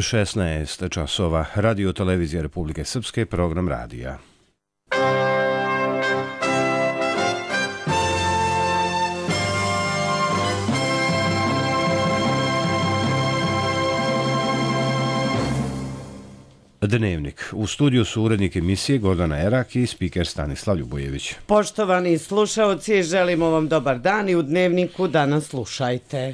16 časova. Radio televizija Republike Srpske, program radija. Dnevnik. U studiju su urednik emisije Gordana Erak i spiker Stanislav Ljubojević. Poštovani slušaoci, želimo vam dobar dan i u Dnevniku danas slušajte.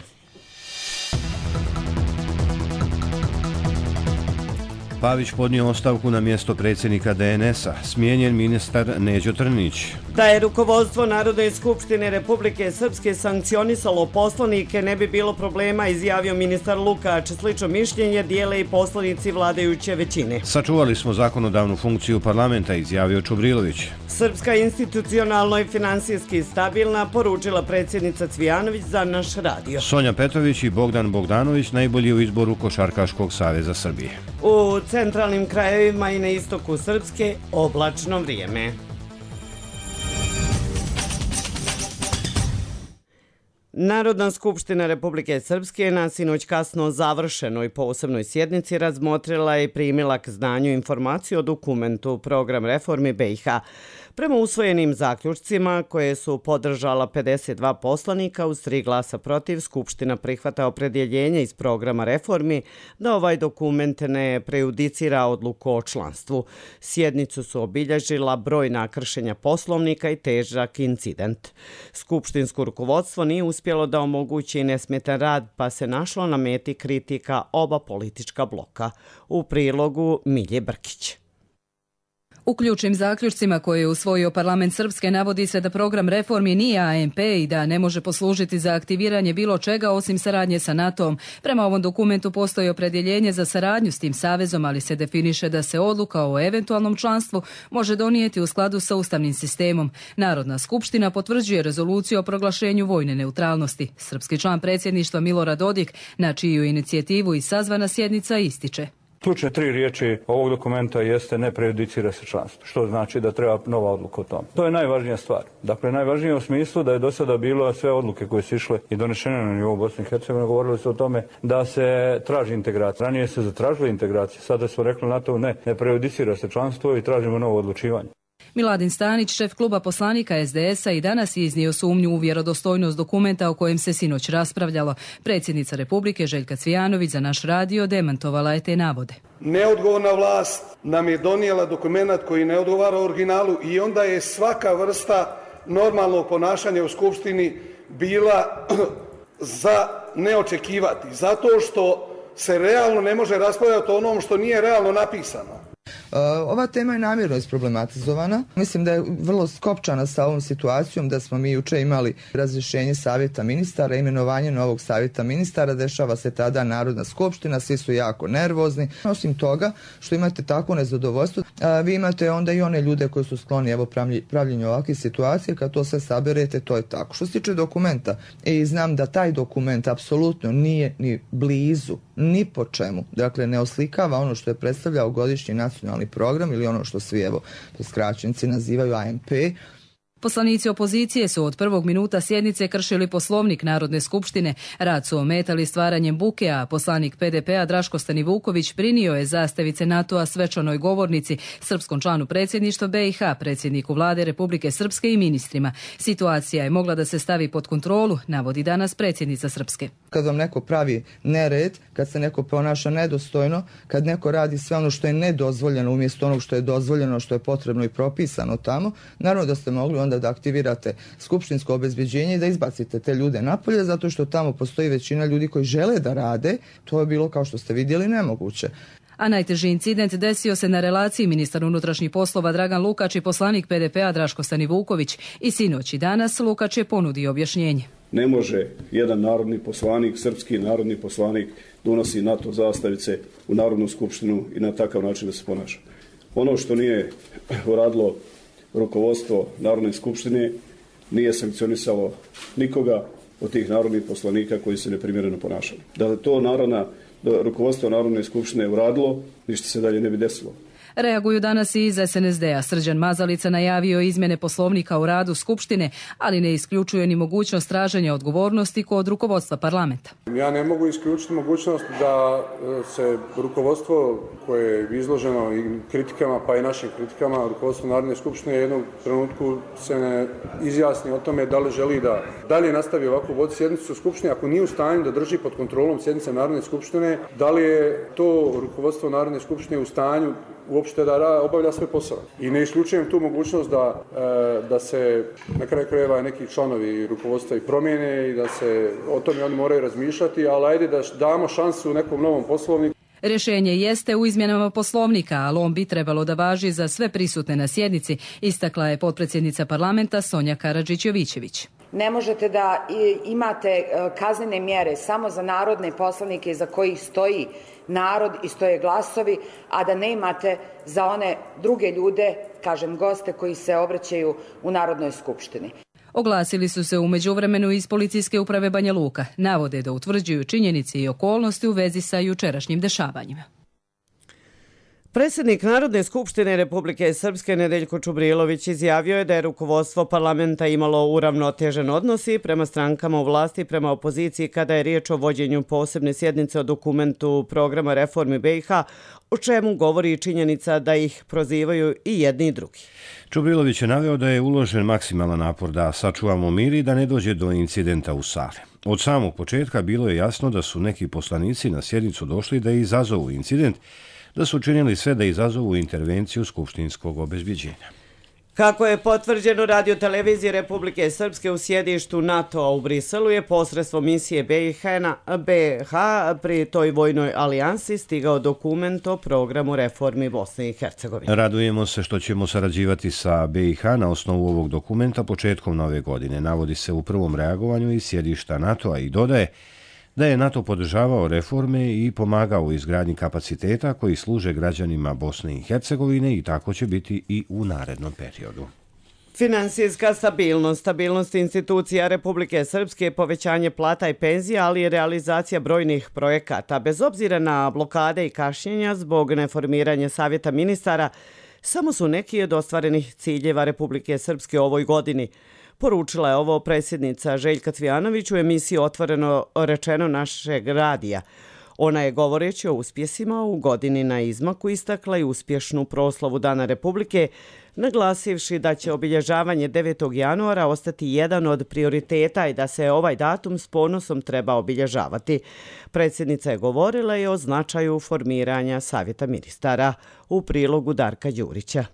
Pavić podnio ostavku na mjesto predsjednika DNS-a. Smijenjen ministar Neđo Trnić. Da je rukovodstvo Narodne skupštine Republike Srpske sankcionisalo poslanike, ne bi bilo problema, izjavio ministar Lukač. Slično mišljenje dijele i poslanici vladajuće većine. Sačuvali smo zakonodavnu funkciju parlamenta, izjavio Čubrilović. Srpska institucionalno i finansijski stabilna, poručila predsjednica Cvijanović za naš radio. Sonja Petrović i Bogdan Bogdanović najbolji u izboru Košarkaškog saveza Srbije. U centralnim krajevima i na istoku Srpske oblačno vrijeme. Narodna skupština Republike Srpske na sinoć kasno završenoj posebnoj sjednici razmotrila i primila k znanju informaciju o dokumentu Program reformi BiH. Prema usvojenim zaključcima koje su podržala 52 poslanika uz 3 glasa protiv, Skupština prihvata opredjeljenje iz programa reformi da ovaj dokument ne prejudicira odluku o članstvu. Sjednicu su obilježila brojna kršenja poslovnika i težak incident. Skupštinsko rukovodstvo nije uspjelo da omogući nesmetan rad, pa se našlo na meti kritika oba politička bloka. U prilogu Milje Brkić. U ključnim zaključcima koje je usvojio parlament Srpske navodi se da program reformi nije ANP i da ne može poslužiti za aktiviranje bilo čega osim saradnje sa NATO-om. Prema ovom dokumentu postoji opredjeljenje za saradnju s tim savezom, ali se definiše da se odluka o eventualnom članstvu može donijeti u skladu sa ustavnim sistemom. Narodna skupština potvrđuje rezoluciju o proglašenju vojne neutralnosti. Srpski član predsjedništva Milorad Dodik, na čiju inicijativu i sazvana sjednica, ističe: Ključne 3 riječi ovog dokumenta jeste ne prejudicira se članstvo, što znači da treba nova odluka o tome. To je najvažnija stvar. Dakle, najvažnije u smislu da je do sada bilo sve odluke koje su išle i donešene na nivou Bosne i Hercegovine, govorili su o tome da se traži integracija. Ranije se zatražila integracija, sada su rekli NATO ne prejudicira se članstvo i tražimo novo odlučivanje. Miladin Stanić, šef kluba poslanika SDS-a, i danas je iznio sumnju u vjerodostojnost dokumenta o kojem se sinoć raspravljalo. Predsjednica Republike Željka Cvijanović za naš radio demantovala je te navode. Neodgovorna vlast nam je donijela dokument koji ne odgovara originalu i onda je svaka vrsta normalnog ponašanja u Skupštini bila za neočekivati. Zato što se realno ne može raspravljati o onom što nije realno napisano. Ova tema je namjerno isproblematizovana. Mislim da je vrlo skopčana sa ovom situacijom, da smo mi juče imali razrješenje savjeta ministara, imenovanje novog savjeta ministara, dešava se tada Narodna skupština, svi su jako nervozni. Osim toga što imate takvo nezadovoljstvo, vi imate onda i one ljude koji su skloni pravljenju ovakve situacije, kad to sve saberete, to je tako. Što se tiče dokumenta, i znam da taj dokument apsolutno nije ni blizu, ni po čemu, dakle ne oslikava ono što je predstavljao godišnji nacionalni program ili ono što svi po skraćenici nazivaju ANP. Poslanici opozicije su od prvog minuta sjednice kršili poslovnik Narodne skupštine. Rad su ometali stvaranjem buke, a poslanik PDP-a Draško Stanivuković prinio je zastavice NATO-a svečanoj govornici, srpskom članu predsjedništva BiH, predsjedniku vlade Republike Srpske i ministrima. Situacija je mogla da se stavi pod kontrolu, navodi danas predsjednica Srpske. Kad vam neko pravi nered, kad se neko ponaša nedostojno, kad neko radi sve ono što je nedozvoljeno umjesto onog što je dozvoljeno, što je potrebno i propisano tamo, naravno da ste mogli onda da aktivirate skupštinsko obezbeđenje i da izbacite te ljude napolje, zato što tamo postoji većina ljudi koji žele da rade. To je bilo, kao što ste vidjeli, nemoguće. A najteži incident desio se na relaciji ministar unutrašnjih poslova Dragan Lukač i poslanik PDP-a Draško Stanivuković. I sinoć i danas Lukač je ponudio objašnjenje. Ne može jedan narodni poslanik, srpski narodni poslanik, donosi NATO zastavice u Narodnu skupštinu i na takav način da se ponaša. Ono što nije uradilo rukovodstvo Narodne skupštine nije sankcionisalo nikoga od tih narodnih poslanika koji se neprimjereno ponašali. Da to rukovodstvo Narodne skupštine uradilo, ništa se dalje ne bi desilo. Reaguju danas i iz SNSD-a. Srđan Mazalica najavio izmjene poslovnika u radu Skupštine, ali ne isključuje ni mogućnost traženja odgovornosti kod rukovodstva parlamenta. Ja ne mogu isključiti mogućnost da se rukovodstvo koje je izloženo i kritikama, pa i našim kritikama, rukovodstvo Narodne skupštine u jednom trenutku se ne izjasni o tome da li želi da dalje nastavi ovako voditi sjednicu Skupštine, ako nije u stanju da drži pod kontrolom sjednice Narodne skupštine, da li je to rukovodstvo Narodne skupštine u stanju uopšte da obavlja svoj posao. I ne isključujem tu mogućnost da se na kraju krajeva neki članovi rukovodstva i promijene i da se o tome oni moraju razmišljati, ali ajde da damo šansu nekom novom poslovniku. Rješenje jeste u izmjenama poslovnika, ali on bi trebalo da važi za sve prisutne na sjednici, istakla je potpredsjednica parlamenta Sonja Karadžić-Jovićević. Ne možete da imate kaznene mjere samo za narodne poslanike za kojih stoji narod i stoje glasovi, a da ne imate za one druge ljude, kažem goste koji se obraćaju u Narodnoj skupštini. Oglasili su se u međuvremenu iz Policijske uprave Banja Luka. Navode da utvrđuju činjenice i okolnosti u vezi sa jučerašnjim dešavanjima. Predsjednik Narodne skupštine Republike Srpske Nedeljko Čubrilović izjavio je da je rukovodstvo parlamenta imalo uravnotežen odnos i prema strankama u vlasti i prema opoziciji kada je riječ o vođenju posebne sjednice o dokumentu programa reformi BiH, o čemu govori i činjenica da ih prozivaju i jedni i drugi. Čubrilović je naveo da je uložen maksimalan napor da sačuvamo mir i da ne dođe do incidenta u sali. Od samog početka bilo je jasno da su neki poslanici na sjednicu došli da izazovu incident, da su učinili sve da izazovu intervenciju skupštinskog obezbeđenja. Kako je potvrđeno radioteleviziji Republike Srpske u sjedištu NATO-a u Briselu je posredstvom misije BiH pri toj vojnoj alijansi stigao dokument o programu reformi Bosne i Hercegovine. Radujemo se što ćemo sarađivati sa BiH na osnovu ovog dokumenta početkom nove godine, navodi se u prvom reagovanju iz sjedišta NATO-a i dodaje da je NATO podržavao reforme i pomagao u izgradnji kapaciteta koji služe građanima Bosne i Hercegovine i tako će biti i u narednom periodu. Finansijska stabilnost institucija Republike Srpske, povećanje plata i penzija, ali i realizacija brojnih projekata. Bez obzira na blokade i kašnjenja zbog neformiranja savjeta ministara, samo su neki od ostvarenih ciljeva Republike Srpske u ovoj godini. Poručila je ovo predsjednica Željka Cvijanović u emisiji Otvoreno rečeno našeg radija. Ona je govoreći o uspjesima u godini na izmaku istakla i uspješnu proslavu Dana Republike, naglasivši da će obilježavanje 9. januara ostati jedan od prioriteta i da se ovaj datum s ponosom treba obilježavati. Predsjednica je govorila i o značaju formiranja savjeta ministara u prilogu Darka Đurića.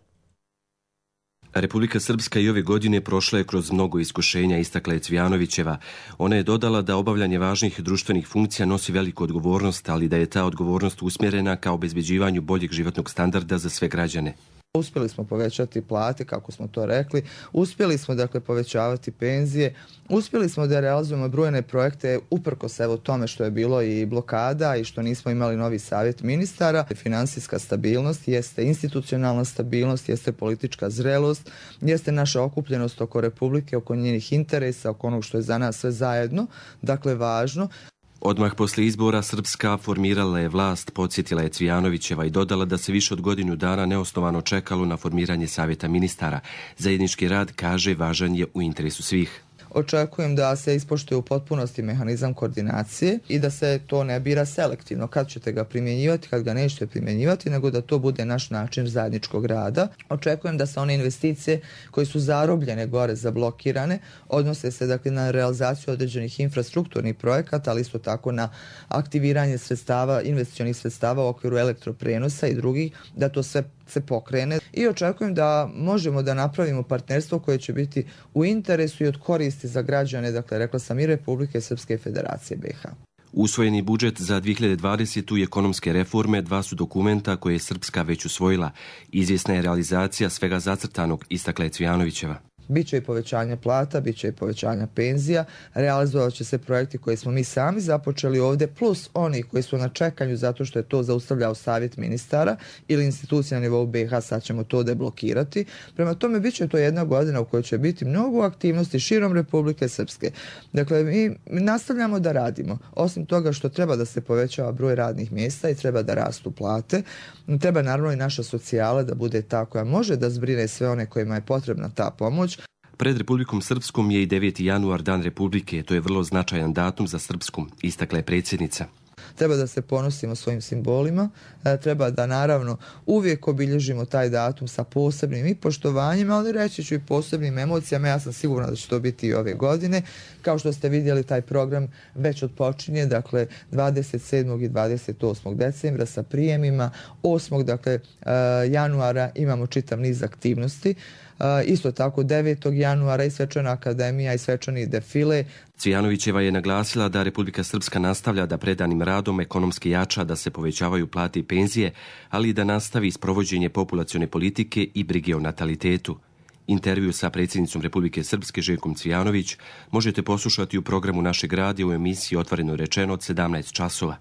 Republika Srpska i ove godine prošla je kroz mnogo iskušenja, istakla je Cvijanovićeva. Ona je dodala da obavljanje važnih društvenih funkcija nosi veliku odgovornost, ali da je ta odgovornost usmjerena ka obezbeđivanju boljeg životnog standarda za sve građane. Uspjeli smo povećati plate, kako smo to rekli, uspjeli smo povećavati penzije, uspjeli smo da realizujemo brojne projekte uprkos tome što je bilo i blokada i što nismo imali novi savjet ministara. Finansijska stabilnost jeste institucionalna stabilnost, jeste politička zrelost, jeste naša okupljenost oko Republike, oko njenih interesa, oko onog što je za nas sve zajedno, dakle važno. Odmah poslije izbora Srpska formirala je vlast, podsjetila je Cvijanovićeva i dodala da se više od godinu dana neosnovano čekalo na formiranje savjeta ministara. Zajednički rad, kaže, važan je u interesu svih. Očekujem da se ispoštuje u potpunosti mehanizam koordinacije i da se to ne bira selektivno kad ćete ga primjenjivati, kad ga nećete primjenjivati, nego da to bude naš način zajedničkog rada. Očekujem da se one investicije koje su zarobljene gore, zablokirane, odnose se na realizaciju određenih infrastrukturnih projekata, ali isto tako na aktiviranje sredstava, investicionih sredstava u okviru elektroprenosa i drugih, da to sve se pokrene. I očekujem da možemo da napravimo partnerstvo koje će biti u interesu i od koristi za građane, dakle rekla sam i Republike Srpske i Federacije BiH. Usvojeni budžet za 2020. i ekonomske reforme dva su dokumenta koje je Srpska već usvojila. Izvjesna je realizacija svega zacrtanog, istakla je Cvijanovićeva. Biće i povećanja plata, biće i povećanja penzija, realizovat će se projekti koje smo mi sami započeli ovdje, plus oni koji su na čekanju zato što je to zaustavljao savjet ministara ili institucija na nivou BiH, sad ćemo to deblokirati. Prema tome, bit će to jedna godina u kojoj će biti mnogo aktivnosti širom Republike Srpske. Dakle, mi nastavljamo da radimo. Osim toga što treba da se povećava broj radnih mjesta i treba da rastu plate, treba naravno i naša socijala da bude ta koja može da zbrine sve one kojima je potrebna ta pomoć. Pred Republikom Srpskom je i 9. januar, Dan Republike. To je vrlo značajan datum za Srpsku, istakla je predsjednica. Treba da se ponosimo svojim simbolima, treba da naravno uvijek obilježimo taj datum sa posebnim i poštovanjem, ali reći ću i posebnim emocijama. Ja sam sigurna da će to biti i ove godine. Kao što ste vidjeli, taj program već odpočinje, dakle 27. i 28. decembra sa prijemima. 8. januara imamo čitav niz aktivnosti. Isto tako 9. januara i Svečana akademija i svečani defile. Cvijanovićeva je naglasila da Republika Srpska nastavlja da predanim radom ekonomski jača, da se povećavaju plate i penzije, ali i da nastavi sprovođenje populacione politike i brige o natalitetu. Intervju sa predsjednicom Republike Srpske Željkom Cvijanović možete poslušati u programu našeg radija u emisiji Otvoreno rečeno od 17 časova.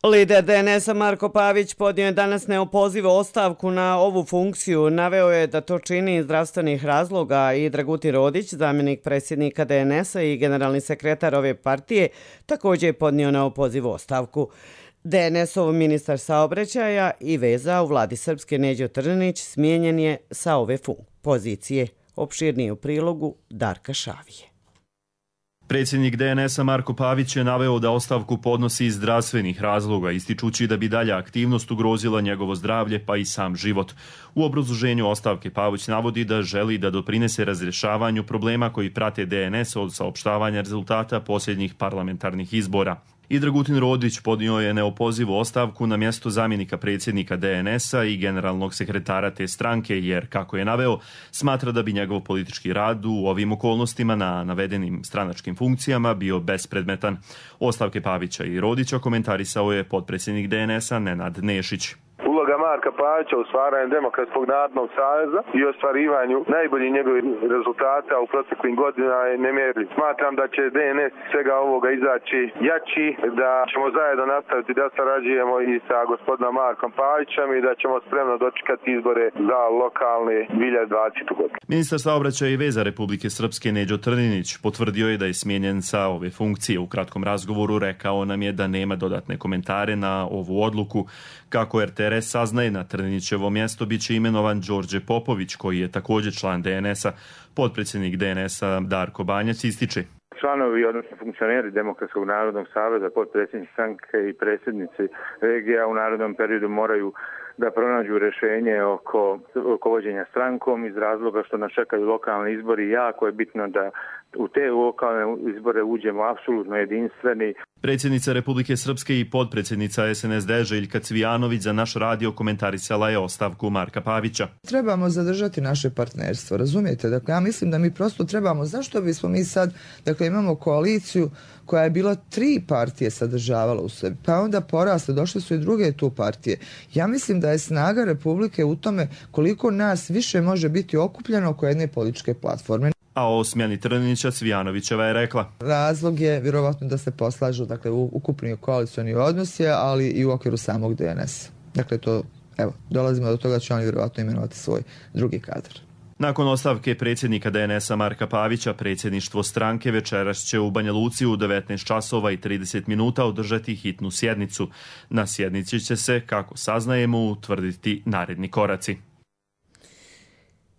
Lider DNS-a Marko Pavić podnio je danas neopozivu ostavku na ovu funkciju. Naveo je da to čini iz zdravstvenih razloga i Dragutin Rodić, zamjenik predsjednika DNS-a i generalni sekretar ove partije, također je podnio neopozivu ostavku. DNS-ov ministar saobraćaja i veza u vladi Srpske Neđo Trninić smijenjen je sa ove pozicije. Opširnije u prilogu Darka Šavije. Predsjednik DNS-a Marko Pavić je naveo da ostavku podnosi iz zdravstvenih razloga, ističući da bi dalja aktivnost ugrozila njegovo zdravlje pa i sam život. U obrazloženju ostavke Pavić navodi da želi da doprinese razrješavanju problema koji prate DNS od saopštavanja rezultata posljednjih parlamentarnih izbora. I Dragutin Rodić podnio je neopozivu ostavku na mjesto zamjenika predsjednika DNS-a i generalnog sekretara te stranke, jer, kako je naveo, smatra da bi njegov politički rad u ovim okolnostima na navedenim stranačkim funkcijama bio bespredmetan. Ostavke Pavića i Rodića komentarisao je potpredsjednik DNS-a Nenad Nešić. Uloga Marka Pavića u stvaranju Demokratskog narodnog saveza i ostvarivanju najboljih njegovih rezultata u proteklim godinama je nemjerljiv. Smatram da će DNS svega ovoga izaći jači, da ćemo zajedno nastaviti da sarađujemo i sa gospodinom Markom Pavićem i da ćemo spremno dočekati izbore za lokalne 2020. godine. Ministar saobraćaja i veza Republike Srpske Neđo Trninić potvrdio je da je smijenjen sa ove funkcije. U kratkom razgovoru rekao nam je da nema dodatne komentare na ovu odluku. Kako RTRS saznaje, na Trninićevo mjesto bit će imenovan Đorđe Popović, koji je također član DNS-a. Potpredsjednik DNS-a Darko Banjac ističe. Članovi, odnosno funkcioneri Demokratskog narodnog saveza, potpredsjednici stranke i predsjednici regija u narednom periodu moraju da pronađu rješenje oko vođenja strankom iz razloga što nas čekaju lokalni izbori. Jako je bitno da u te lokalne izbore uđemo apsolutno jedinstveni. Predsjednica Republike Srpske i potpredsjednica SNSD Željka Cvijanović za naš radio komentarisala je ostavku Marka Pavića. Trebamo zadržati naše partnerstvo, razumijete? Dakle, ja mislim da mi prosto trebamo, zašto bismo mi sad, dakle, imamo koaliciju koja je bila 3 partije sadržavala u sebi, pa onda porasle, došle su i druge tu partije. Ja mislim da je snaga Republike u tome koliko nas više može biti okupljeno oko jedne političke platforme. A o smjeni Trninića Cvijanovićeva je rekla. Razlog je vjerovatno da se poslažu, dakle, ukupni koalicioni odnosi, ali i u okviru samog DNS. Dakle, to, evo, dolazimo do toga će oni vjerovatno imenovati svoj drugi kadar. Nakon ostavke predsjednika DNS-a Marka Pavića, predsjedništvo stranke večeras će u Banja Luci u 19 časova i 30 minuta održati hitnu sjednicu. Na sjednici će se, kako saznajemo, utvrditi naredni koraci.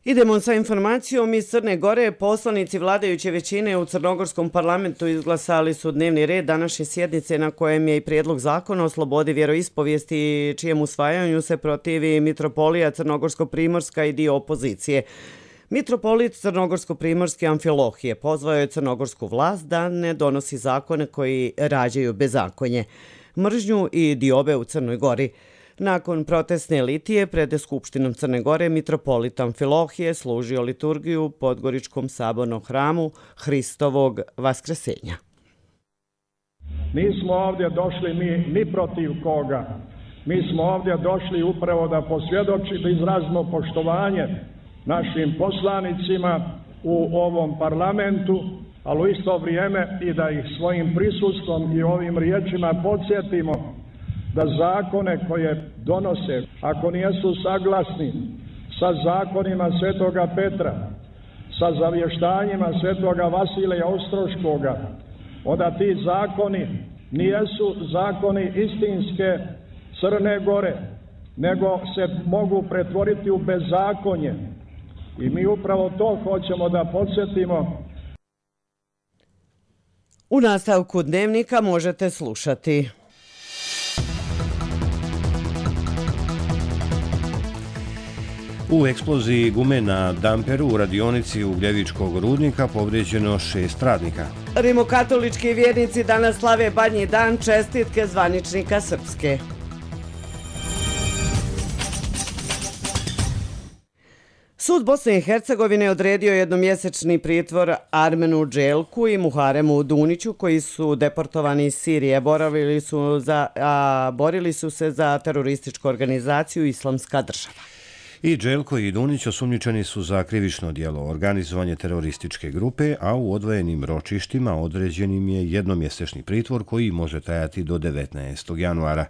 Idemo sa informacijom iz Crne Gore. Poslanici vladajuće većine u Crnogorskom parlamentu izglasali su dnevni red današnje sjednice na kojem je i prijedlog zakona o slobodi vjeroispovijesti, čijem usvajanju se protivi mitropolija Crnogorsko-Primorska i dio opozicije. Mitropolit Crnogorsko-Primorski Amfilohije pozvao je crnogorsku vlast da ne donosi zakone koji rađaju bezakonje, mržnju i diobe u Crnoj Gori. Nakon protestne litije pred Skupštinom Crne Gore, mitropolit Amfilohije služio liturgiju u Podgoričkom sabornom hramu Hristovog Vaskresenja. Nismo ovdje došli ni protiv koga. Mi smo ovdje došli upravo da posvjedočimo, da izrazimo poštovanje našim poslanicima u ovom parlamentu, ali u isto vrijeme i da ih svojim prisustvom i ovim riječima podsjetimo da zakone koje donose, ako nijesu saglasni sa zakonima Svetoga Petra, sa zavještanjima Svetoga Vasilija Ostroškoga, onda ti zakoni nijesu zakoni istinske Crne Gore, nego se mogu pretvoriti u bezakonje. I mi upravo to hoćemo da podsjetimo. U nastavku dnevnika možete slušati. U eksploziji gume na damperu u radionici Ugljevičkog rudnika povrijeđeno 6 radnika. Rimokatolički vjernici danas slave Badnji dan, čestitke zvaničnika Srpske. Sud Bosne i Hercegovine odredio jednomjesečni pritvor Armenu Dželku i Muharemu Duniću, koji su deportovani iz Sirije. Borili su se za terorističku organizaciju Islamska država. I Dželko i Dunić osumnjičeni su za krivično djelo organizovanje terorističke grupe, a u odvojenim ročištima određenim je jednomjesečni pritvor koji može trajati do 19. januara.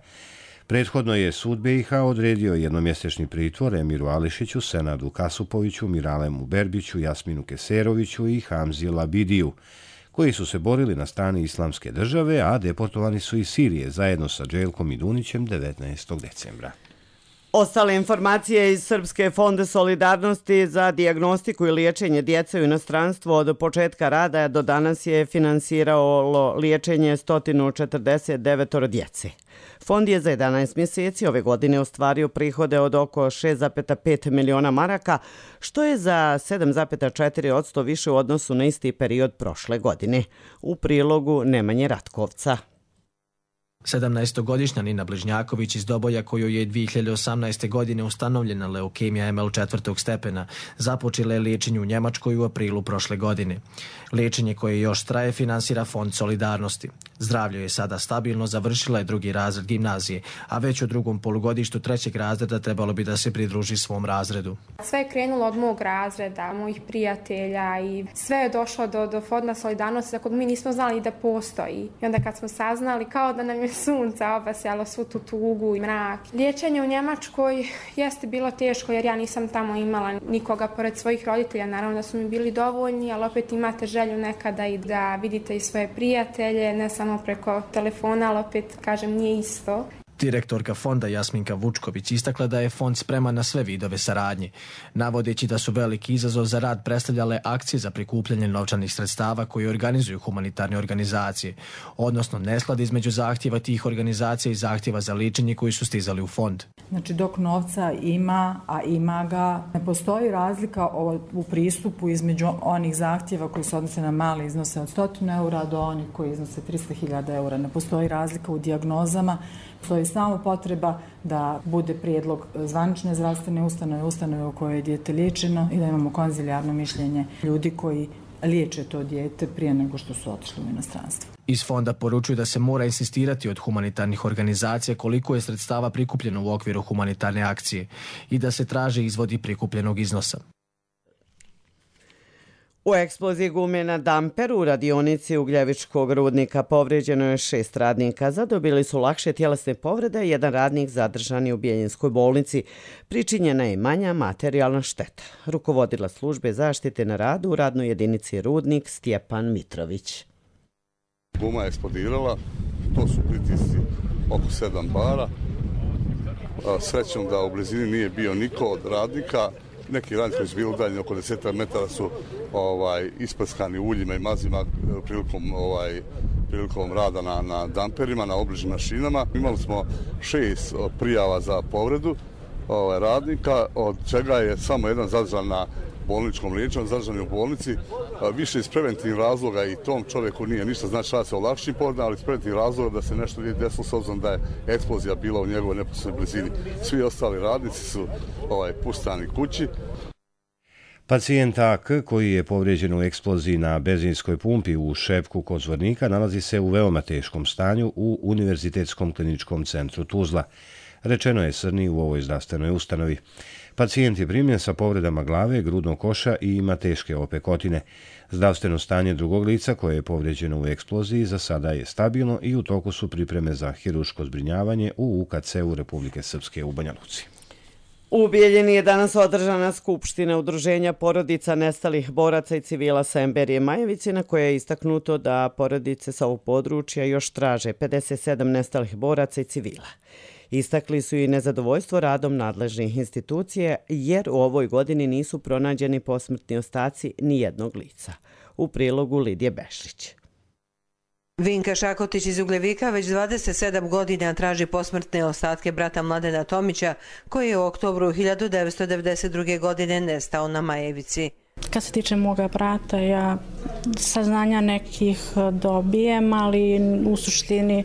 Prethodno je sud BiH odredio jednomjesečni pritvor Emiru Ališiću, Senadu Kasupoviću, Miralemu Berbiću, Jasminu Keseroviću i Hamzi Labidiju, koji su se borili na strani Islamske države, a deportovani su iz Sirije zajedno sa Dželkom i Dunićem 19. decembra. Ostale informacije iz Srpske fonde solidarnosti za dijagnostiku i liječenje djece u inostranstvu od početka rada do danas je finansiralo liječenje 149 djece. Fond je za 11 mjeseci ove godine ostvario prihode od oko 6,5 miliona maraka, što je za 7,4% više u odnosu na isti period prošle godine. U prilogu Nemanje Ratkovca. 17-godišnja Nina Bližnjaković iz Doboja, kojoj je 2018. godine ustanovljena leukemija ML 4. stepena, započela je liječenje u Njemačkoj u aprilu prošle godine. Liječenje koje još traje finansira Fond solidarnosti. Zdravlje je sada stabilno, završila je 2. razred gimnazije, a već u drugom polugodištu 3. razreda trebalo bi da se pridruži svom razredu. Sve je krenulo od mog razreda, mojih prijatelja i sve je došlo do Fonda solidarnosti za kog mi nismo znali da postoji. I onda kad smo saznali, kao da nam je sunca obasjalo svu tu tugu i mrak. Liječenje u Njemačkoj jeste bilo teško jer ja nisam tamo imala nikoga pored svojih roditelja. Naravno da su mi bili dovoljni, ali opet imate želju nekada i da vidite i svoje prijatelje, ne samo preko telefona, ali opet, kažem, nije isto. Direktorka fonda Jasminka Vučković istakla da je fond spreman na sve vidove saradnje, navodeći da su veliki izazov za rad predstavljale akcije za prikupljanje novčanih sredstava koje organizuju humanitarne organizacije, odnosno nesklad između zahtjeva tih organizacija i zahtjeva za liječenje koji su stizali u fond. Znači, dok novca ima, a ima ga, ne postoji razlika u pristupu između onih zahtjeva koji se odnose na male iznose od 100 eura do onih koji iznose 300.000 eura. Ne postoji razlika u dijagnozama, postoji samo potreba da bude prijedlog zvanične zdravstvene ustanove u kojoj je dijete liječeno i da imamo konzilijarno mišljenje ljudi koji liječe to dijete prije nego što su otišli u inostranstvo. Iz fonda poručuju da se mora insistirati od humanitarnih organizacija koliko je sredstava prikupljeno u okviru humanitarne akcije i da se traže izvodi prikupljenog iznosa. U eksploziji gume na damperu u radionici Ugljevičkog rudnika povrijeđeno je 6 radnika. Zadobili su lakše tjelesne povrede, jedan radnik zadržan je u Bijeljinskoj bolnici. Pričinjena je manja materijalna šteta. Rukovodila službe zaštite na radu u radnoj jedinici Rudnik Stjepan Mitrović. Guma je eksplodirala, to su pritisci oko 7 bara. Srećom da u blizini nije bio niko od radnika. Neki radnici koji su bili udaljeni oko 10 metara su isprskani uljima i mazima prilikom rada na damperima, na obližnim mašinama. Imali smo 6 prijava za povredu radnika, od čega je samo jedan zadržan na bolničkom liječenju, zadržan je u bolnici, više iz preventivnih razloga i tom čovjeku nije ništa, znači radi se o lakšim povredama, ali iz preventivnih razloga da se nešto nije desilo s obzirom da je eksplozija bila u njegovoj neposrednoj blizini. Svi ostali radnici su puštani kući. Pacijent AK, koji je povrijeđen u eksploziji na benzinskoj pumpi u Šepku kod Zvornika, nalazi se u veoma teškom stanju u Univerzitetskom kliničkom centru Tuzla. Rečeno je Srni u ovoj zdravstvenoj ustanovi. Pacijent je primljen sa povredama glave, grudnog koša i ima teške opekotine. Zdravstveno stanje drugog lica koje je povređeno u eksploziji za sada je stabilno i u toku su pripreme za hirurško zbrinjavanje u UKC-u Republike Srpske u Banja Luci. U Bijeljini je danas održana skupština udruženja porodica nestalih boraca i civila sa Semberije Majevice, na koje je istaknuto da porodice sa ovog područja još traže 57 nestalih boraca i civila. Istakli su i nezadovoljstvo radom nadležnih institucija jer u ovoj godini nisu pronađeni posmrtni ostaci ni jednog lica. U prilogu Lidije Bešlić. Vinka Šakotić iz Ugljevika već 27 godina traži posmrtne ostatke brata Mladena Tomića, koji je u oktobru 1992. godine nestao na Majevici. Kad se tiče moga brata, ja saznanja nekih dobijem, ali u suštini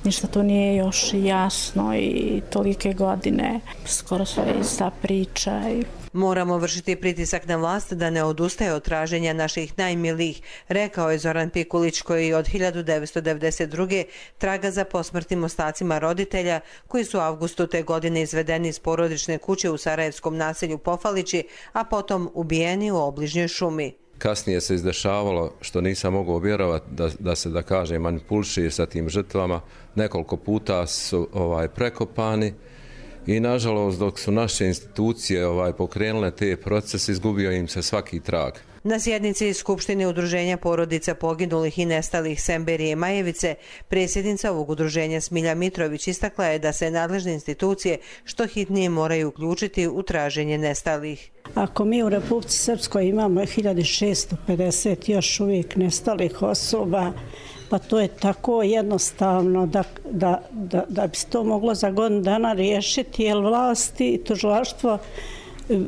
ništa to nije još jasno i tolike godine, skoro sve ista priča. Moramo vršiti pritisak na vlast da ne odustaje od traženja naših najmilijih, rekao je Zoran Pikulić, koji od 1992. traga za posmrtnim ostacima roditelja koji su u avgustu te godine izvedeni iz porodične kuće u sarajevskom naselju Pofalići, a potom ubijeni u obližnjoj šumi. Kasnije se izdešavalo, što nisam mogao vjerovati, da se, da kažem, manipuliše sa tim žrtvama. Nekoliko puta su prekopani i, nažalost, dok su naše institucije pokrenule te procese, izgubio im se svaki trag. Na sjednici Skupštine udruženja porodica poginulih i nestalih Semberije Majevice, predsjednica ovog udruženja Smilja Mitrović istakla je da se nadležne institucije što hitnije moraju uključiti u traženje nestalih. Ako mi u Republici Srpskoj imamo 1650 još uvijek nestalih osoba, pa to je tako jednostavno da bi se to moglo za godinu dana riješiti, jer vlasti i tužilaštvo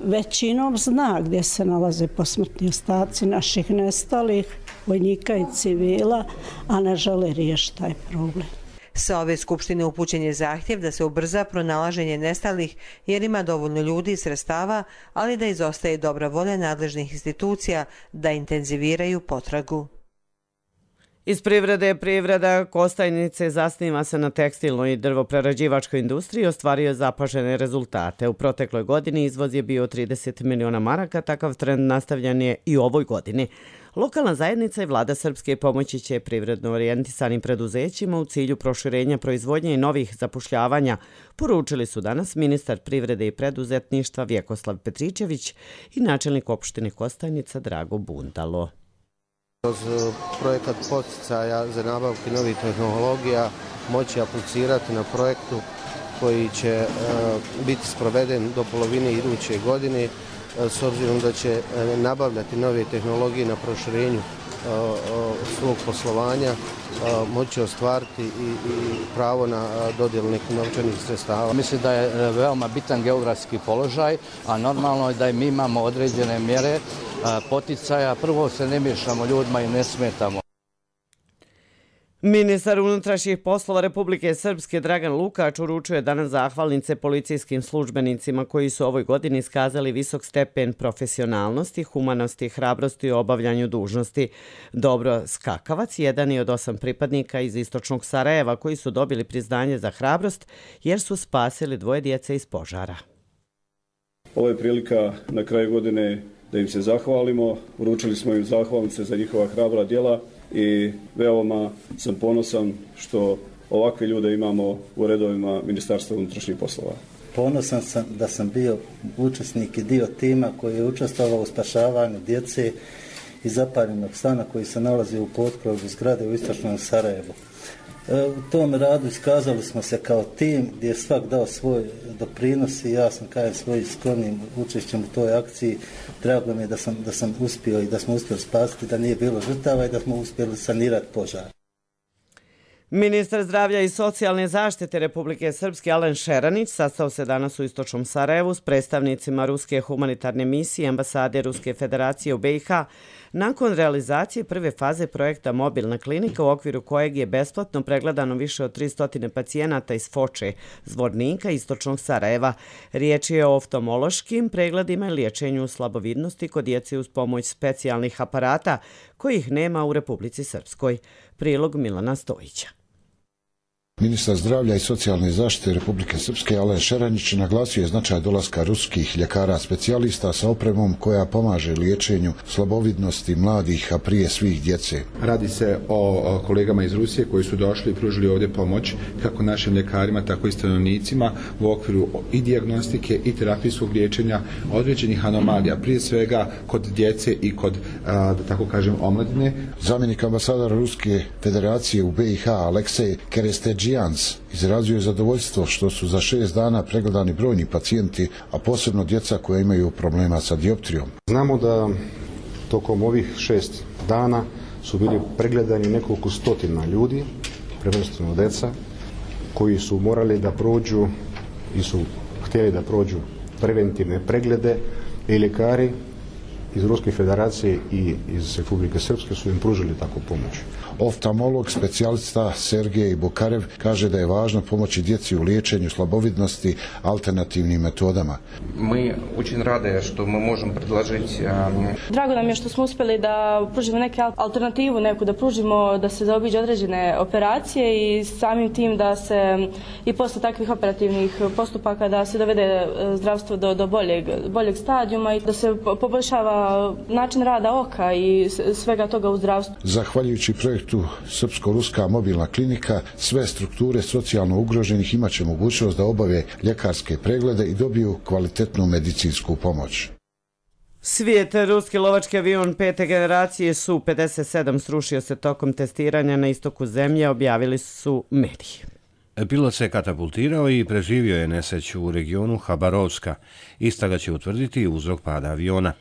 većinom zna gdje se nalaze posmrtni ostaci naših nestalih vojnika i civila, a ne žele riješiti taj problem. Sa ove skupštine upućen je zahtjev da se ubrza pronalaženje nestalih jer ima dovoljno ljudi i sredstava, ali da izostaje dobra volja nadležnih institucija da intenziviraju potragu. Iz privrede privreda Kostajnice zasniva se na tekstilnoj i drvoprerađivačkoj industriji, ostvario zapažene rezultate. U protekloj godini izvoz je bio 30 miliona maraka, takav trend nastavljen je i u ovoj godini. Lokalna zajednica i vlada Srpske pomoći će privredno orijentisanim preduzećima u cilju proširenja proizvodnje i novih zapošljavanja, poručili su danas ministar privrede i preduzetništva Vjekoslav Petričević i načelnik opštine Kostajnica Drago Bundalo. Kroz projekat poticaja za nabavku novih tehnologija moći aplicirati na projektu koji će biti sproveden do polovine iduće godine, s obzirom da će nabavljati nove tehnologije na proširenju svog poslovanja, moći ostvariti i pravo na dodjelu nekih novčanih sredstava. Mislim da je veoma bitan geografski položaj, a normalno je da mi imamo određene mjere poticaja. Prvo se ne miješamo ljudima i ne smetamo. Ministar unutrašnjih poslova Republike Srpske Dragan Lukač uručuje danas zahvalnice policijskim službenicima koji su ovoj godini iskazali visok stepen profesionalnosti, humanosti i hrabrosti u obavljanju dužnosti. Dobro Skakavac, jedan je od 8 pripadnika iz istočnog Sarajeva koji su dobili priznanje za hrabrost jer su spasili 2 djece iz požara. Ovo je prilika na kraju godine da im se zahvalimo. Uručili smo im zahvalnice za njihova hrabra djela i veoma sam ponosan što ovakve ljude imamo u redovima Ministarstva unutrašnjih poslova. Ponosan sam da sam bio učesnik i dio tima koji je učestvovao u spašavanju djece iz zapaljenog stana koji se nalazi u potkrovu zgrade u istočnom Sarajevu. U tom radu iskazali smo se kao tim gdje je svak dao svoj doprinos i ja sam kažem svojim skromnim učešćem u toj akciji. Drago mi je da sam uspio i da smo uspjeli spasiti, da nije bilo žrtava i da smo uspjeli sanirati požar. Ministar zdravlja i socijalne zaštite Republike Srpske Alen Šeranić sastao se danas u istočnom Sarajevu s predstavnicima Ruske humanitarne misije i ambasade Ruske federacije u BiH nakon realizacije prve faze projekta Mobilna klinika u okviru kojeg je besplatno pregledano više od 300 pacijenata iz Foče, Zvornika i istočnog Sarajeva. Riječ je o oftalmološkim pregledima i liječenju slabovidnosti kod djece uz pomoć specijalnih aparata kojih nema u Republici Srpskoj. Prilog Milana Stojića. Ministar zdravlja i socijalne zaštite Republike Srpske Alen Šeranić naglasio je značaj dolaska ruskih ljekara specijalista sa opremom koja pomaže liječenju slabovidnosti mladih, a prije svih djece. Radi se o kolegama iz Rusije koji su došli i pružili ovdje pomoć kako našim ljekarima, tako i stanovnicima u okviru i dijagnostike i terapijskog liječenja određenih anomalija, prije svega kod djece i kod, da tako kažem, omladine. Zamjenik ambasadora Ruske federacije u BiH Aleksej Kerestedžijans izrazio je zadovoljstvo što su za 6 dana pregledani brojni pacijenti, a posebno djeca koja imaju problema sa dioptrijom. Znamo da tokom ovih 6 dana su bili pregledani nekoliko stotina ljudi, prvenstveno djeca, koji su morali da prođu i su htjeli da prođu preventivne preglede i ljekari iz Ruske federacije i iz Republike Srpske su im pružili takvu pomoć. Oftalmolog, specijalista Sergej Bukarev kaže da je važno pomoći djeci u liječenju slabovidnosti alternativnim metodama. Mi очень rade što mi možemo predložiti. Drago nam je što smo uspjeli da pružimo neku alternativu, da pružimo da se zaobiđe određene operacije i samim tim da se i posle takvih operativnih postupaka da se dovede zdravstvo do boljeg stadijuma i da se poboljšava način rada oka i svega toga u zdravstvu. Zahvaljujući projektu Srpsko-ruska mobilna klinika, sve strukture socijalno ugroženih imaće mogućnost da obave ljekarske preglede i dobiju kvalitetnu medicinsku pomoć. Svijet, ruski lovački avion 5. generacije Su-57 srušio se tokom testiranja na istoku zemlje, objavili su mediji. Pilot se katapultirao i preživio je nesreću u regionu Habarovska. Istraga će utvrditi uzrok pada aviona.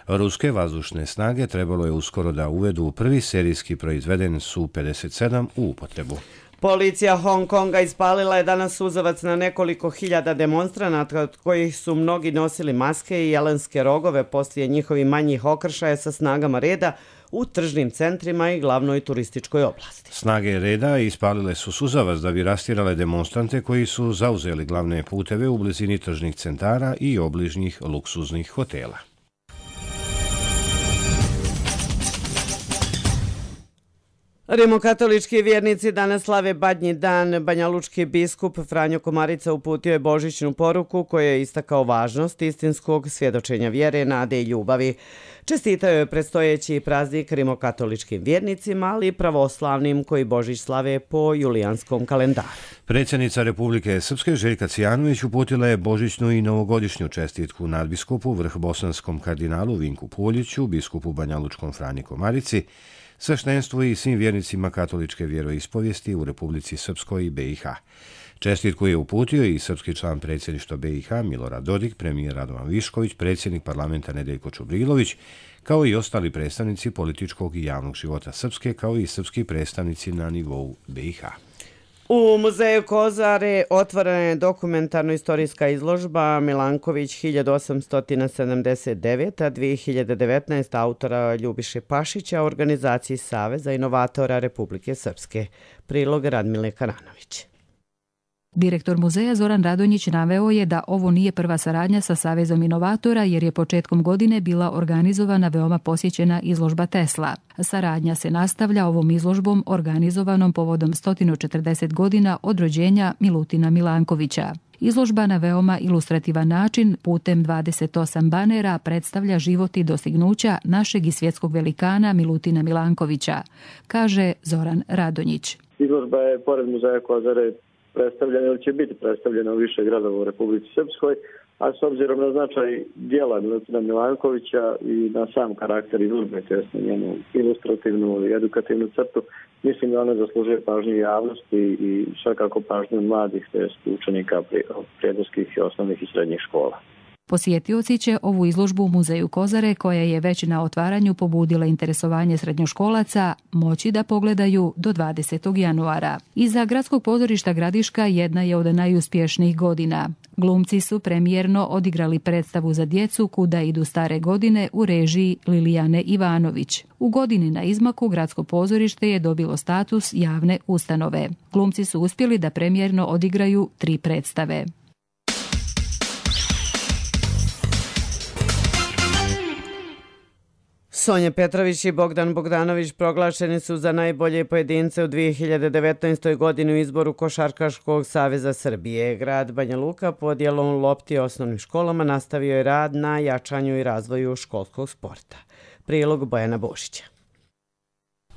Ruske vazdušne snage trebalo je uskoro da uvedu prvi serijski proizveden Su-57 u upotrebu. Policija Hong Konga ispalila je danas suzavac na nekoliko hiljada demonstranata, od kojih su mnogi nosili maske i jelenske rogove poslije njihovih manjih okršaja sa snagama reda u tržnim centrima i glavnoj turističkoj oblasti. Snage reda ispalile su suzavac da bi rastirale demonstrante koji su zauzeli glavne puteve u blizini tržnih centara i obližnjih luksuznih hotela. Rimokatolički vjernici danas slave Badnji dan. Banjalučki biskup Franjo Komarica uputio je božićnu poruku koja je istakao važnost istinskog svjedočenja vjere, nade i ljubavi. Čestitao je predstojeći praznik rimokatoličkim vjernicima, ali i pravoslavnim koji Božić slave po julijanskom kalendaru. Predsjednica Republike Srpske Željka Cijanović uputila je božićnu i novogodišnju čestitku nadbiskupu vrhbosanskom kardinalu Vinku Puljiću, biskupu Banjalučkom Franji Komarici, sveštenstvu i svim vjernicima katoličke vjeroispovijesti u Republici Srpskoj i BiH. Čestitku je uputio i srpski član predsjedništva BiH Milorad Dodik, premijer Radovan Višković, predsjednik parlamenta Nedeljko Čubrilović, kao i ostali predstavnici političkog i javnog života Srpske, kao i srpski predstavnici na nivou BiH. U muzeju Kozare otvorena je dokumentarno-istorijska izložba Milanković 1879-2019 autora Ljubiše Pašića, organizaciji Saveza inovatora Republike Srpske. Prilog Radmile Karanović. Direktor muzeja Zoran Radonjić naveo je da ovo nije prva saradnja sa Savezom inovatora jer je početkom godine bila organizovana veoma posjećena izložba Tesla. Saradnja se nastavlja ovom izložbom organizovanom povodom 140 godina od rođenja Milutina Milankovića. Izložba na veoma ilustrativan način putem 28 banera predstavlja život i dostignuća našeg i svjetskog velikana Milutina Milankovića, kaže Zoran Radonjić. Izložba je pored muzeja Kozare predstavljena ili će biti predstavljena u više gradova u Republici Srpskoj, a s obzirom na značaj dijela Milutina Milankovića i na sam karakter izložbe, tj. na njenu ilustrativnu i edukativnu crtu, mislim da ona zaslužuje pažnju javnosti i svakako pažnju mladih, tj. učenika prijedorskih i osnovnih i srednjih škola. Posjetioci će ovu izložbu u muzeju Kozare, koja je već na otvaranju pobudila interesovanje srednjoškolaca, moći da pogledaju do 20. januara. Iza Gradskog pozorišta Gradiška jedna je od najuspješnijih godina. Glumci su premijerno odigrali predstavu za djecu Kuda idu stare godine u režiji Lilijane Ivanović. U godini na izmaku Gradsko pozorište je dobilo status javne ustanove. Glumci su uspjeli da premijerno odigraju 3 predstave. Sonja Petrović i Bogdan Bogdanović proglašeni su za najbolje pojedince u 2019. godini u izboru Košarkaškog saveza Srbije. Grad Banja Luka podjelom lopti osnovnim školama nastavio je rad na jačanju i razvoju školskog sporta. Prilog Bojana Bošića.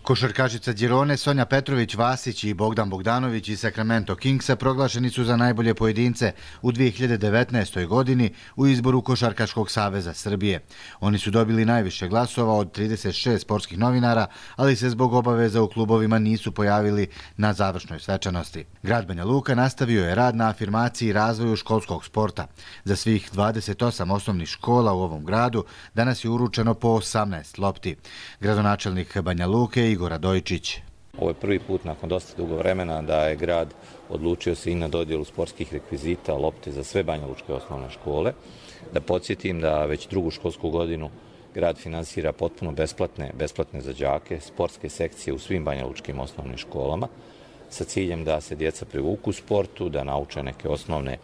Košarkašica Girone Sonja Petrović-Vasić i Bogdan Bogdanović iz Sacramento Kingsa proglašeni su za najbolje pojedince u 2019. godini u izboru Košarkaškog saveza Srbije. Oni su dobili najviše glasova od 36 sportskih novinara, ali se zbog obaveza u klubovima nisu pojavili na završnoj svečanosti. Grad Banja Luka nastavio je rad na afirmaciji i razvoju školskog sporta. Za svih 28 osnovnih škola u ovom gradu danas je uručeno po 18 lopti. Gradonačelnik Banja Luke Igor Radojčić. Ovo je prvi put nakon dosta dugo vremena da je grad odlučio se i na dodjelu sportskih rekvizita, lopte za sve banjalučke osnovne škole. Da podsjetim da već drugu školsku godinu grad finansira potpuno besplatne za đake, sportske sekcije u svim banjalučkim osnovnim školama sa ciljem da se djeca privuku u sportu, da nauče neke osnovne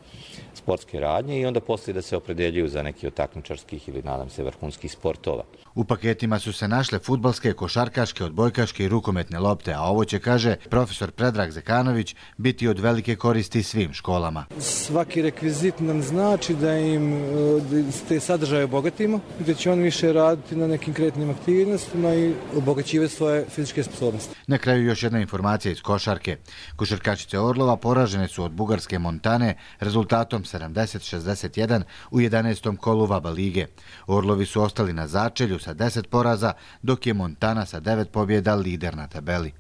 sportske radnje i onda poslije da se opredeljuju za neki od takmičarskih ili, nadam se, vrhunskih sportova. U paketima su se našle fudbalske, košarkaške, odbojkaške i rukometne lopte, a ovo će, kaže profesor Predrag Zekanović, biti od velike koristi svim školama. Svaki rekvizit nam znači da im te sadržaje obogatimo, gdje će on više raditi na nekim kreativnim aktivnostima i obogaćivati svoje fizičke sposobnosti. Na kraju još jedna informacija iz košarke. Košarkašice Orlova poražene su od bugarske Montane rezultatom 70-61 u 11. kolu VABA lige. Orlovi su ostali na začelju sa 10 poraza, dok je Montana sa 9 pobjeda lider na tabeli.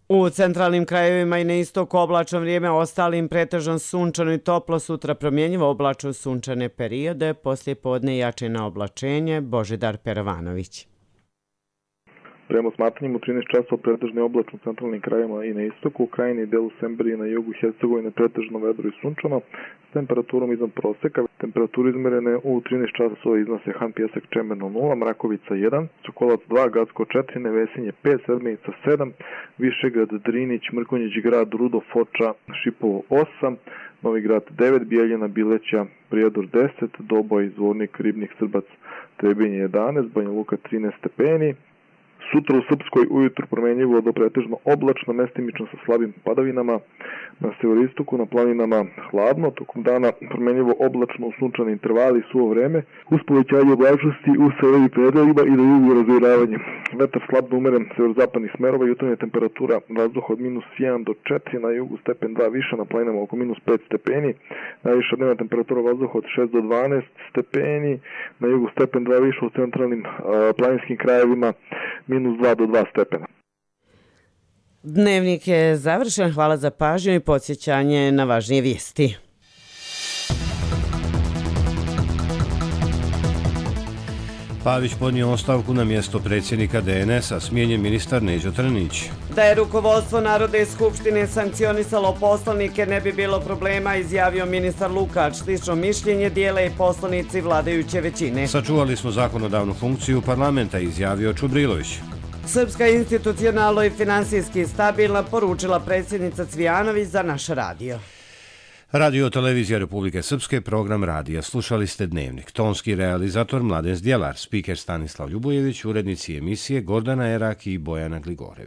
U centralnim krajevima i na istoku oblačno vrijeme, ostalim pretežno sunčano i toplo, sutra promjenjivo oblačno sunčane periode, poslije podne jače na oblačenje. Božidar Perovanović. Prema smatranjima u 13 časova pretežno oblačno u centralnim krajevima i na istoku, u krajini i delu Semberije na jugu Hercegovine pretežno vedro i sunčano, s temperaturom iznad proseka. Temperature izmerene u 13 časova iznose Han Pjesak Čemerno 0, Mrakovica 1, Sokolac 2, Gacko 4, Nevesinje 5, Sedmenica 7, Višegrad, Drinić, Mrkonjić Grad, Rudo, Foča, Šipovo 8, Novi Grad 9, Bijeljina, Bileća, Prijedor 10, Doboj, Zvornik, Ribnik, Srbac, Trebinje 11, Banja Luka 13 stepeni. Sutra u Srpskoj ujutru promjenjivo do pretežno oblačno, mestimično sa slabim padavinama, na severistoku, na planinama hladno, tokom dana promjenjivo oblačno u sunčani intervali i suvo vreme, uz povećanje oblačnosti u severnim predjelima i na jugu razviravanje. Vetar slab da umeren severozapadnih smerova, jutarnja temperatura vazduha od -1 do 4, na jugu stepen 2 više, na planinama oko -5 stepeni, najviša dnevna temperatura vazduha od 6 do 12 stepeni, na jugu stepen 2 više u centralnim planinskim krajevima, -2 do 2 stepena. Dnevnik je završen. Hvala za pažnju i podsjećanje na važnije vijesti. Pavić podnio ostavku na mjesto predsjednika DNS-a, smijenjen ministar Neđo Trnić. Da je rukovodstvo Narodne skupštine sankcionisalo poslanike, ne bi bilo problema, izjavio ministar Lukač. Slično mišljenje dijele i poslanici vladajuće većine. Sačuvali smo zakonodavnu funkciju parlamenta, izjavio Čubrilović. Srpska institucionalno i finansijski stabilna, poručila predsjednica Cvijanović za naš radio. Radio Televizija Republike Srpske, program radija. Slušali ste Dnevnik. Tonski realizator Mladen Zdjelar, spiker Stanislav Ljubojević, urednici emisije Gordana Erak i Bojana Gligorević.